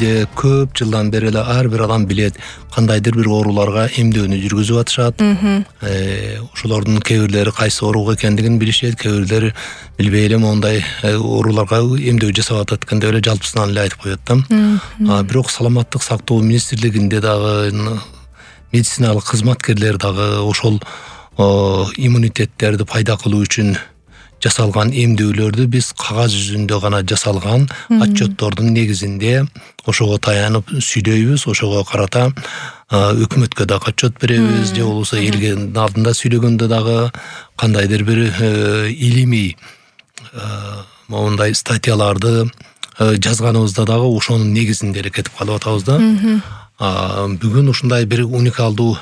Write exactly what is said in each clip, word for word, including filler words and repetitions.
бизде көп жылдан бери эле ар бир адам билет кандайдыр бир ооруларга эмдөөнү жүргүзүп атышат. Ошолордун кээ бирлери кайсы оорук экендигин билишет, кээ бирлери билбей эле мондай ооруларга эмдөө жасап атат экен деп эле жалпысынан эле айтып коет да. Бирок саламаттык сактоо министрлигинде дагы медициналык кызматкерлер дагы ошол иммунитеттерди пайда кылуу үчүн жасалган эмдөөлөрдү биз кагаз жүзүндө гана жасалган отчеттордун негизинде ошого таянып сүйлөйбүз, ошого карата өкмөткө дагы отчет беребиз, же болбосо элге алдында сүйлөгөндө дагы кандайдыр бир илимий мондай статьяларды жазганыбызда дагы ошонун негизинде эле кетип калып атабыз да. Бүгүн ушундай бир уникалдуу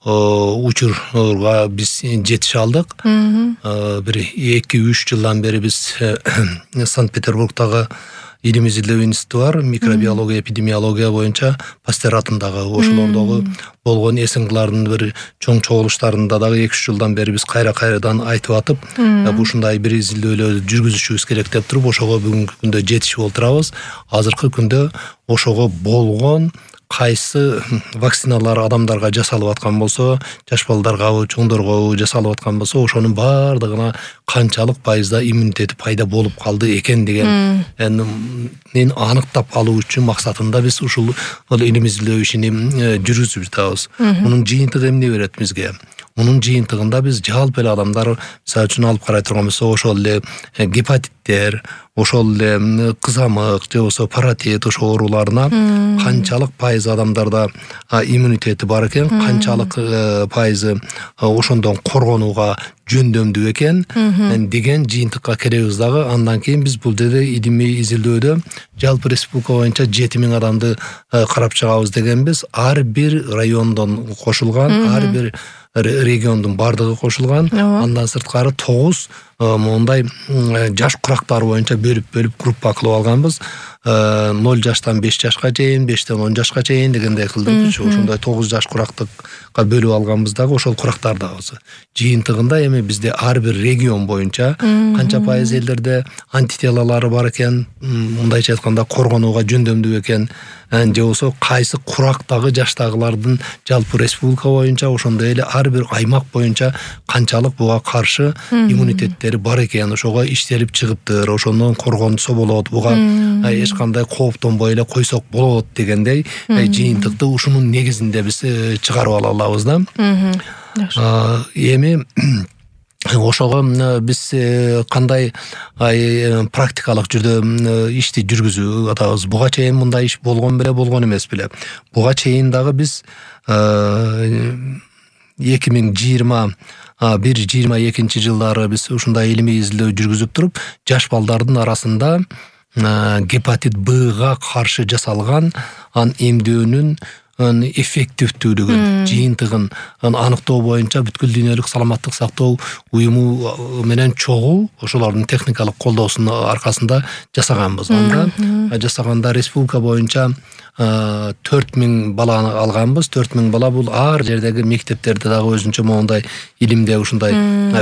учурга биз жетише алдык. Бир эки үч жылдан бери биз Санкт-Петербургдагы Илим изилдөө институту бар, микробиология, эпидемиология боюнча Пастер атындагы ошолордогу болгон эсиңкылардын бир чоң чогулуштарында дагы эки үч жылдан бери биз кайра-кайрадан айтып атып, ушундай бир изилдөөлөрдү жүргүзүшүбүз керек деп туруп, ошого бүгүнкү күндө жетишип отурабыз. Азыркы күндө ошого болгон кайсы вакциналар адамдарга жасалып аткан болсо, жаш балдаргабы, чоңдоргобу жасалып аткан болсо, ошонун баардыгына канчалык пайызда иммунитети пайда болуп калды экен деген аныктап алуу үчүн максатында биз ушул илим изилдөө ишини жүргүзүп жатабыз. Мунун жыйынтыгы эмне берет бизге? Мунун жыйынтыгында биз жалпы эле адамдар мисалы үчүн алып карай турган болсо, ошол эле гепатиттер, ошол эле кызамык, же болбосо паротит ошол ооруларына канчалык пайыз адамдарда иммунитети бар экен, канчалык пайызы ошондон коргонууга жөндөмдүү экен деген жыйынтыкка келебиз дагы. Андан кийин биз бул жерде илимий изилдөөдө жалпы республика боюнча жети миң адамды карап чыгабыз дегенбиз. Ар бир райондон кошулган, ар бир региондун бардыгы кошулган. Андан сырткары тогуз мондай жаш курактары боюнча бөлүп-бөлүп группа кылып алганбыз. ноль жаштан беш жашка чейин, бештен он жашка чейин дегендей кылдык. Ошондой тогуз жаш курактыкка бөлүп алганбыз дагы ошол курактарды алабыз. Жыйынтыгында эми бизде ар бир регион боюнча канча пайыз элдерде антителалары бар экен, мындайча айтканда коргонууга жөндөмдүү экен, же болбосо кайсы курактагы жаштагылардын жалпы республика боюнча, ошондой эле ар бир аймак боюнча канчалык буга каршы иммунитеттери бар экен, ошого иштелип чыгыптыр, ошондон коргонсо болот, буга эч кандай кооптонбой эле койсок болот дегендей жыйынтыкты ушунун негизинде биз чыгарып ала алабыз да. Эми ошого биз кандай практикалык жүрдө ишти жүргүзүп атабыз. Буга чейин мындай иш болгон беле, болгон эмес беле. Буга чейин дагы биз эки миң жыйырма бир жыйырма экинчи жылдары биз ушундай илимий изилдөө жүргүзүп туруп, жаш балдардын арасында гепатит Б-га каршы жасалган эмдөөнүн эффективдүүлүгүн, жыйынтыгын аныктоо боюнча бүткүл дүйнөлүк саламаттык сактоо уюму менен чогуу ошолордун техникалык колдоосунун аркасында жасаганбыз. Анда жасаганда республика боюнча төрт миң баланы алганбыз. төрт миң бала бул ар жердеги мектептерде дагы өзүнчө моундай илимде ушундай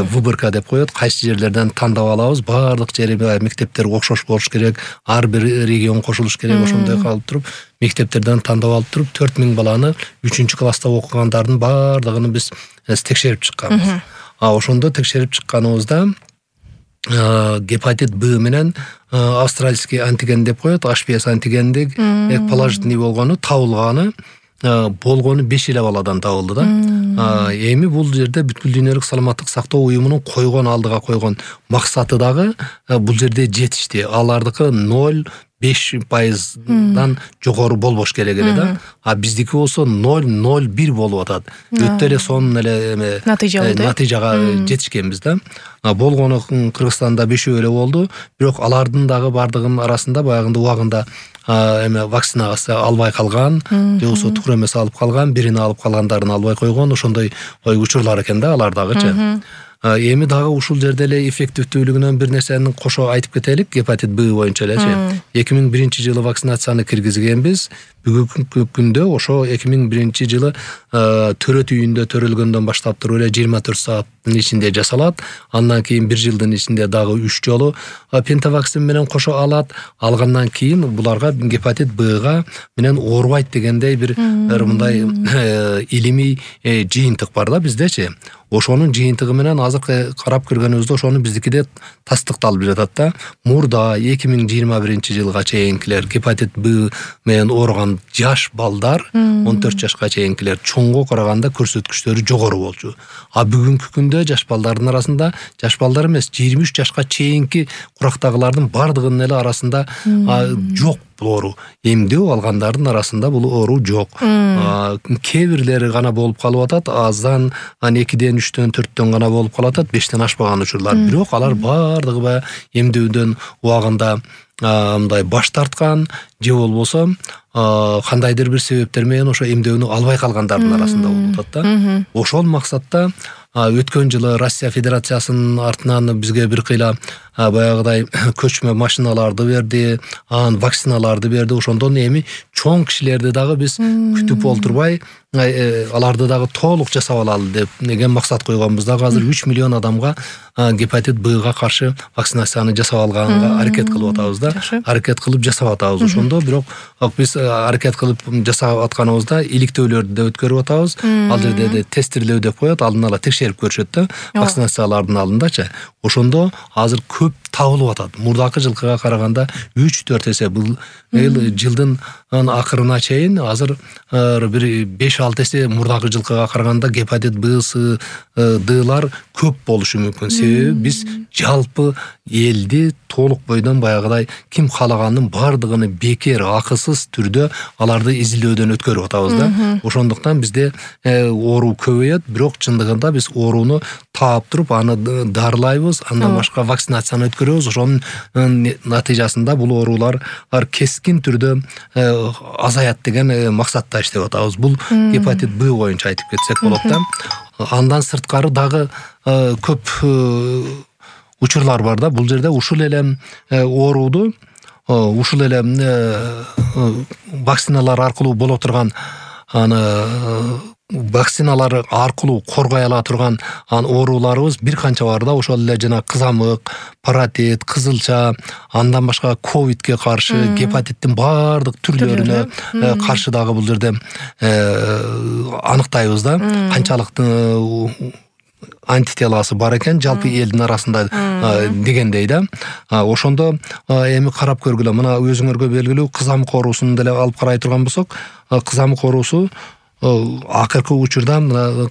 выборка деп коет. Кайсы жерлерден тандап алабыз. Баардык жери мектептер окшош болуш керек. Ар бир регион кошулуш керек. Ошондой калып туруп мектептерден тандап алып туруп төрт миң баланы үчүнчү класста окугандардын баардыгын биз текшерип чыкканбыз. Ошондо текшерип чыкканыбызда гепатит Б менен австралийский антиген деп коет, эйч пи эс антигендик положительный болгону табылганы болгону беш эле баладан табылды да. Эми бул жерде бүткүл дүйнөлүк саламаттык сактоо уюмунун койгон алдыга койгон максаты дагы бул жерде жетишти. Алардыкы ноль беш пайыздан жогору болбош керек эле да. А биздики болсо ноль ноль бир болуп атат. Өтө эле сонун эле натыйжага жетишкенбиз да. Болгону Кыргызстанда бешөө эле болду. Бирок алардын дагы бардыгынын арасында баягында убагында эме вакцинасы албай калган, же болбосо туура эмес алып калган, бирини алып калгандарын албай койгон, ошондой учурлар экен да алардагычы. Эми дагы ушул жерде эле эффективдүүлүгүнөн бир нерсени кошо айтып кетелик, гепатит Б боюнча элечи. эки миң биринчи жылы вакцинацияны киргизгенбиз. Бүгүнкү күндө ошо эки миң биринчи жылы төрөт үйүндө төрөлгөндөн баштап туруп эле жыйырма төрт сааттын ичинде жасалат. Андан кийин бир жылдын ичинде дагы үч жолу пентавакцин менен кошо алат. Алгандан кийин буларга гепатит Бга менен оорубайт дегендей бир мындай илимий жыйынтык бар да биздечи. Ошонун жыйынтыгы менен азыр карап көргөнүбүздө ошону биздикиде тастыкталып жатат да. Мурда эки миң жыйырма биринчи жылга чейинкилер гепатит Б менен ооруган жаш балдар он төрт жашка чейинкилер чоңго караганда көрсөткүчтөрү жогору болчу. А бүгүнкү күндө жаш балдардын арасында, жаш балдар эмес, жыйырма үч жашка чейинки курактагылардын бардыгынын эле арасында жок бул оору. Эмдөө алгандардын арасында бул оору жок. Кээ бирлери гана болуп калып атат, аздан экиден, үчтөн, төрттөн гана болуп калып атат, бештен ашпаган учурлар. Бирок алар бардыгы баягы эмдөөдөн убагында мындай баш тарткан же болбосо кандайдыр бир себептер менен ошо эмдөөнү албай калгандардын арасында болуп атат да. Ошол максатта өткөн жылы Россия Федерациясынын артынан бизге бир кыйла баягыдай көчмө машиналарды берди, анан вакциналарды берди. Ошондон эми чоң кишилерди дагы биз күтүп олтурбай аларды дагы толук жасап алалы деп деген максат койгонбуз. Дагы азыр үч миллион адамга гепатит Бга каршы вакцинацияны жасап алганга аракет кылып атабыз да. Аракет кылып жасап атабыз. Ошондо бирок биз аракет кылып жасап атканыбызда иликтөөлөрдү да өткөрүп атабыз. Ал жерде тестирлөө деп коет, алдын ала текшерип көрүшөт да вакцинациялардын алдындачы. Ошондо азыр көп табылып атат. Мурдакы жылкыга караганда үч төрт эсе. Бул жылдын акырына чейин азыр бир беш алты эсе мурдакы жылкыга караганда гепатит Б, С, Д'лар көп болушу мүмкүн. Себеби биз жалпы элди толук бойдон баягыдай ким каалаганын бардыгын бекер акысыз түрдө аларды изилдөөдөн өткөрүп атабыз да. Ошондуктан бизде оору көбөйөт, бирок чындыгында биз ооруну таап туруп аны дарылайбыз, андан башка вакцинацияны өткөрөбүз. Ошонун натыйжасында бул оорулар кескин түрдө азаят деген максатта иштеп атабыз. Бул гепатит Б боюнча айтып кетсек болот да. Андан сырткары дагы көп учурлар бар да. Бул жерде ушул эле ооруду ушул эле вакциналар аркылуу боло турган аны вакциналар аркылуу коргой ала турган ооруларыбыз бир канча бар да. Ошол эле жана кызамык, паротит, кызылча, андан башка ковидке каршы, гепатиттин бардык түрлөрүнө каршы дагы бул жерде аныктайбыз да. Канчалык антителасы бар экен жалпы элдин арасында дегендей да. Ошондо эми карап көргүлө, мына өзүңөргө белгилүү кызамык оорусун деле алып карай турган болсок, кызамык оорусу акыркы учурда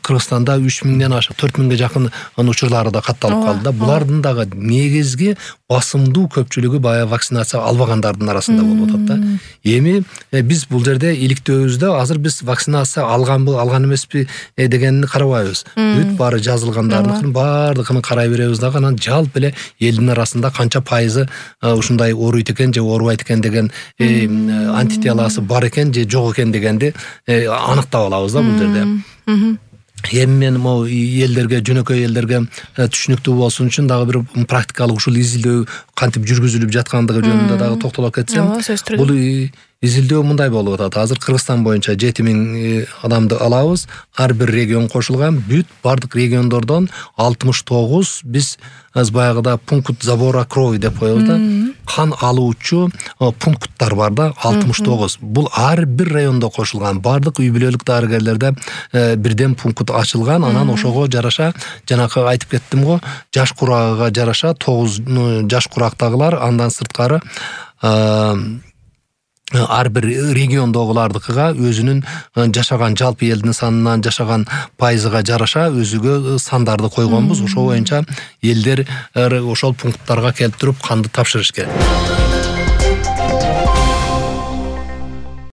Кыргызстанда үч миңден ашык, төрт миңге жакын учурлары да катталып калды да. Булардын дагы негизги басымдуу көпчүлүгү баягы вакцинация албагандардын арасында болуп атат да. Эми биз бул жерде иликтөөбүздө азыр биз вакцинация алганбы, алган эмеспи дегенди карабайбыз. Бүт баары жазылгандардын бардыгын карай беребиз дагы, анан жалпы эле элдин арасында канча пайызы ушундай ооруйт экен же оорубайт экен деген антителасы бар экен же жок экен дегенди аныктап алабыз да бул жерде. Эми мен могу элдерге, жөнөкөй элдерге түшүнүктүү болсун үчүн дагы бир практикалык ушул изилдөө кантип жүргүзүлүп жаткандыгы жөнүндө дагы токтоло кетсем. Бул изилдөө мындай болуп атат. Азыр Кыргызстан боюнча жети миң адамды алабыз. Ар бир регион кошулган. Бүт бардык региондордон алтымыш тогуз биз баягыда пункт забора крови деп коебуз да. Кан алуучу пункттар бар да, алтымыш тогуз. Бул ар бир райондо кошулган. Бардык үй бүлөлүк дарыгерлерде бирден пункт ачылган. Анан ошого жараша, жанакы айтып кеттим го, жаш курагыга жараша тогуз жаш курактагылар, андан сырткары ар бир региондогулардыкыга өзүнүн жашаган жалпы элдин санынан жашаган пайызыга жараша өзүгө сандарды койгонбуз. Ошол боюнча элдер ошол пункттарга келип туруп канды тапшырыш керек.